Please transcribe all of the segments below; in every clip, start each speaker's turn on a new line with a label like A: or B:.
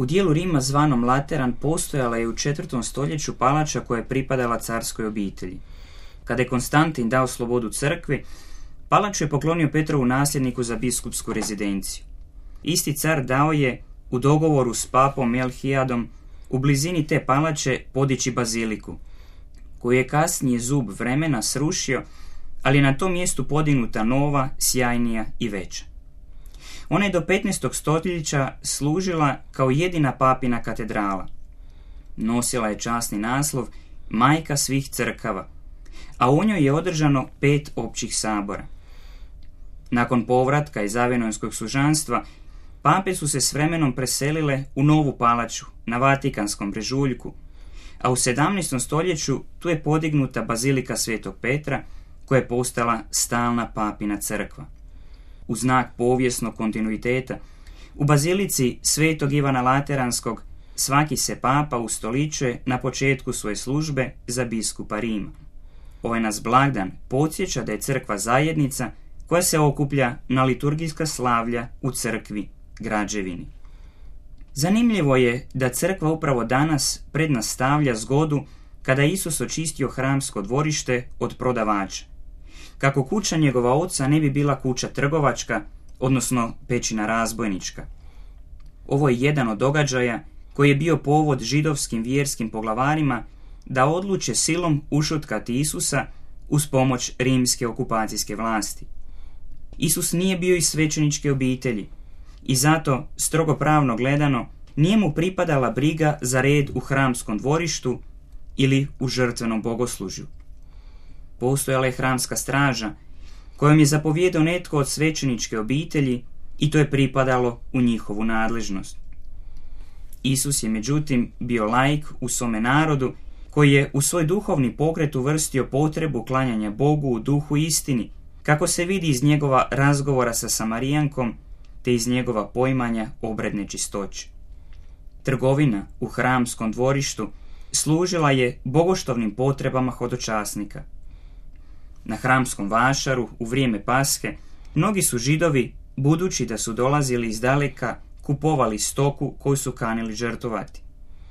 A: U dijelu Rima zvanom Lateran postojala je u 4. stoljeću palača koja je pripadala carskoj obitelji. Kada je Konstantin dao slobodu crkvi, palaču je poklonio Petrovu nasljedniku za biskupsku rezidenciju. Isti car dao je, u dogovoru s papom Melhijadom, u blizini te palače podići baziliku, koju je kasnije zub vremena srušio, ali je na tom mjestu podignuta nova, sjajnija i veća. Ona je do 15. stoljeća služila kao jedina papina katedrala. Nosila je časni naslov Majka svih crkava, a u njoj je održano 5 općih sabora. Nakon povratka iz Avenonskog sužanstva, pape su se s vremenom preselile u novu palaču na Vatikanskom brežuljku, a u 17. stoljeću tu je podignuta bazilika Svetog Petra, koja je postala stalna papina crkva. U znak povijesnog kontinuiteta, u bazilici Svetog Ivana Lateranskog svaki se papa ustoličuje na početku svoje službe za biskupa Rima. Ovaj nas blagdan podsjeća da je crkva zajednica koja se okuplja na liturgijska slavlja u crkvi, građevini. Zanimljivo je da crkva upravo danas pred nas stavlja zgodu kada je Isus očistio hramsko dvorište od prodavača, kako kuća njegova oca ne bi bila kuća trgovačka, odnosno pećina razbojnička. Ovo je jedan od događaja koji je bio povod židovskim vjerskim poglavarima da odluče silom ušutkati Isusa uz pomoć rimske okupacijske vlasti. Isus nije bio iz svećeničke obitelji i zato, strogo pravno gledano, nije mu pripadala briga za red u hramskom dvorištu ili u žrtvenom bogoslužju. Postojala je hramska straža kojom je zapovjedao netko od svećeničke obitelji i to je pripadalo u njihovu nadležnost. Isus je međutim bio laik u svome narodu koji je u svoj duhovni pokret uvrstio potrebu klanjanja Bogu u duhu i istini, kako se vidi iz njegova razgovora sa Samarijankom te iz njegova poimanja obredne čistoće. Trgovina u hramskom dvorištu služila je bogoštovnim potrebama hodočasnika. Na hramskom vašaru u vrijeme Paske mnogi su Židovi, budući da su dolazili iz daleka, kupovali stoku koju su kanili žrtvovati.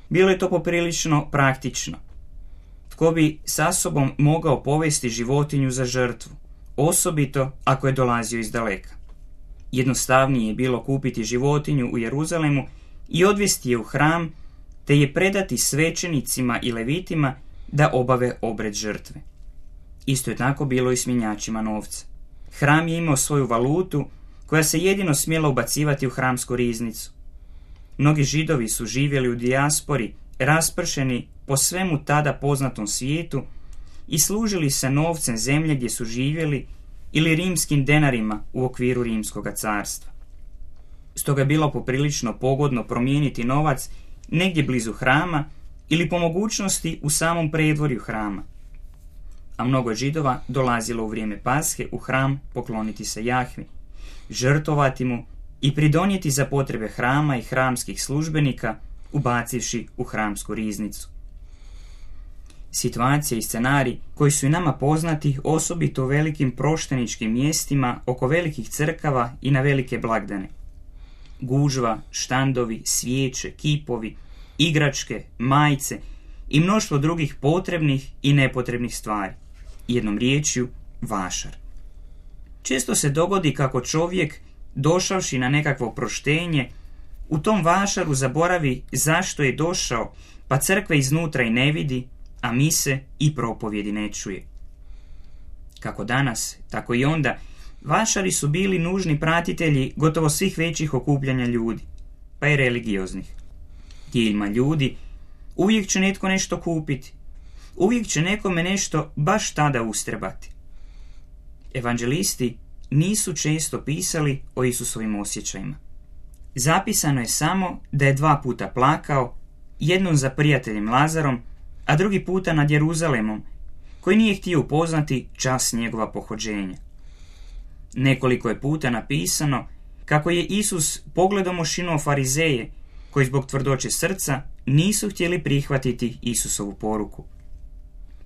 A: Bilo je to poprilično praktično. Tko bi sa sobom mogao povesti životinju za žrtvu, osobito ako je dolazio iz daleka. Jednostavnije je bilo kupiti životinju u Jeruzalemu i odvesti je u hram, te je predati svećenicima i levitima da obave obred žrtve. Isto je tako bilo i s mjenjačima novca. Hram je imao svoju valutu koja se jedino smjela ubacivati u hramsku riznicu. Mnogi Židovi su živjeli u dijaspori, raspršeni po svemu tada poznatom svijetu i služili se novcem zemlje gdje su živjeli ili rimskim denarima u okviru rimskoga carstva. Stoga je bilo poprilično pogodno promijeniti novac negdje blizu hrama ili po mogućnosti u samom predvorju hrama. A mnogo Židova dolazilo u vrijeme Pashe u hram pokloniti se Jahvi, žrtvovati mu i pridonijeti za potrebe hrama i hramskih službenika, ubacivši u hramsku riznicu. Situacije i scenarij koji su i nama poznati osobito u velikim prošteničkim mjestima oko velikih crkava i na velike blagdane. Gužva, štandovi, svijeće, kipovi, igračke, majice i mnoštvo drugih potrebnih i nepotrebnih stvari. Jednom riječju, vašar. Često se dogodi kako čovjek, došavši na nekakvo proštenje, u tom vašaru zaboravi zašto je došao, pa crkve iznutra i ne vidi, a mise i propovjedi ne čuje. Kako danas, tako i onda, vašari su bili nužni pratitelji gotovo svih većih okupljanja ljudi, pa i religioznih. Gdje ima ljudi, uvijek će netko nešto kupiti, uvijek će nekome nešto baš tada ustrebati. Evanđelisti nisu često pisali o Isusovim osjećajima. Zapisano je samo da je 2 puta plakao, jednom za prijateljem Lazarom, a drugi puta nad Jeruzalemom, koji nije htio upoznati čas njegova pohođenja. Nekoliko je puta napisano kako je Isus pogledom ošinuo farizeje, koji zbog tvrdoće srca nisu htjeli prihvatiti Isusovu poruku.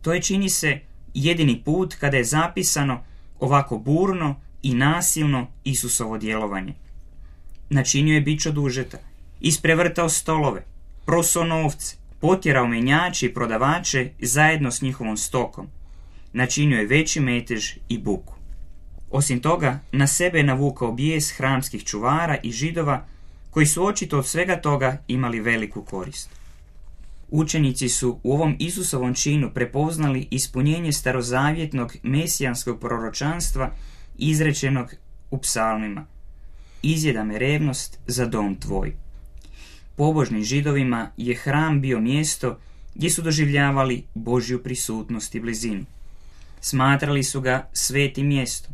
A: To je, čini se, jedini put kada je zapisano ovako burno i nasilno Isusovo djelovanje. Načinio je bič od užeta isprevrtao stolove, proso novce, potjerao mjenjače i prodavače zajedno s njihovom stokom, načinio je veći metež i buku. Osim toga, na sebe je navukao bijes hramskih čuvara i Židova, koji su očito od svega toga imali veliku korist. Učenici su u ovom Isusovom činu prepoznali ispunjenje starozavjetnog mesijanskog proročanstva izrečenog u psalmima: izjeda me revnost za dom tvoj. Pobožnim Židovima je hram bio mjesto gdje su doživljavali Božju prisutnost i blizinu. Smatrali su ga svetim mjestom.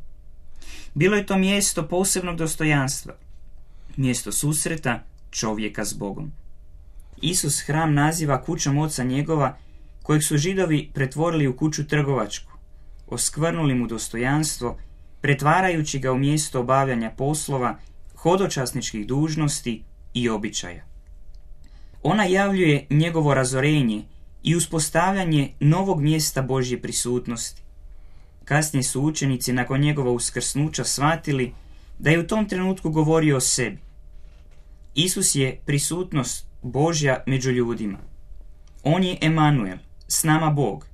A: Bilo je to mjesto posebnog dostojanstva, mjesto susreta čovjeka s Bogom. Isus hram naziva kućom oca njegova, kojeg su Židovi pretvorili u kuću trgovačku, oskvrnuli mu dostojanstvo, pretvarajući ga u mjesto obavljanja poslova, hodočasničkih dužnosti i običaja. Ona javljuje njegovo razorenje i uspostavljanje novog mjesta Božje prisutnosti. Kasnije su učenici nakon njegova uskrsnuća shvatili da je u tom trenutku govorio o sebi. Isus je prisutnost Božja među ljudima. On je Emanuel, s nama Bog.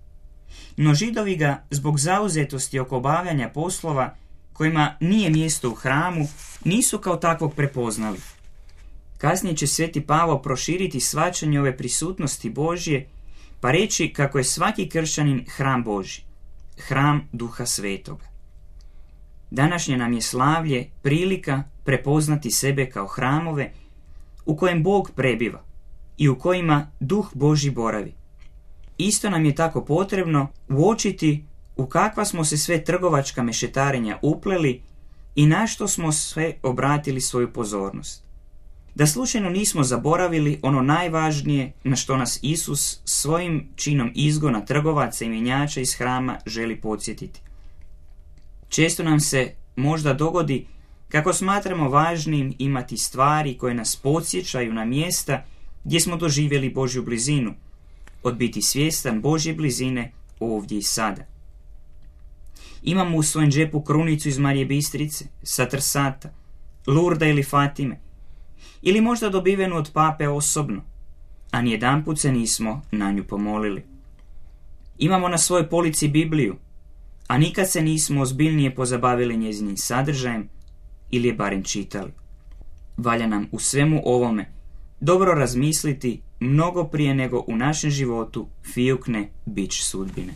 A: No Židovi ga zbog zauzetosti oko obavljanja poslova, kojima nije mjesto u hramu, nisu kao takvog prepoznali. Kasnije će sveti Pavao proširiti shvaćanje ove prisutnosti Božje, pa reći kako je svaki kršćanin hram Božji, hram Duha Svetoga. Današnje nam je slavlje prilika prepoznati sebe kao hramove u kojem Bog prebiva i u kojima Duh Božji boravi. Isto nam je tako potrebno uočiti u kakva smo se sve trgovačka mešetarenja upleli i na što smo sve obratili svoju pozornost. Da slučajno nismo zaboravili ono najvažnije na što nas Isus svojim činom izgona trgovaca i mjenjača iz hrama želi podsjetiti. Često nam se možda dogodi kako smatramo važnim imati stvari koje nas podsjećaju na mjesta gdje smo doživjeli Božju blizinu, od biti svjestan Božje blizine ovdje i sada. Imamo u svojem džepu krunicu iz Marije Bistrice, sa Trsata, Lurda ili Fatime, ili možda dobivenu od pape osobno, a nijedanput se nismo na nju pomolili. Imamo na svojoj polici Bibliju, a nikad se nismo ozbiljnije pozabavili njezinim sadržajem ili je barem čitali. Valja nam u svemu ovome dobro razmisliti mnogo prije nego u našem životu fijukne bič sudbine.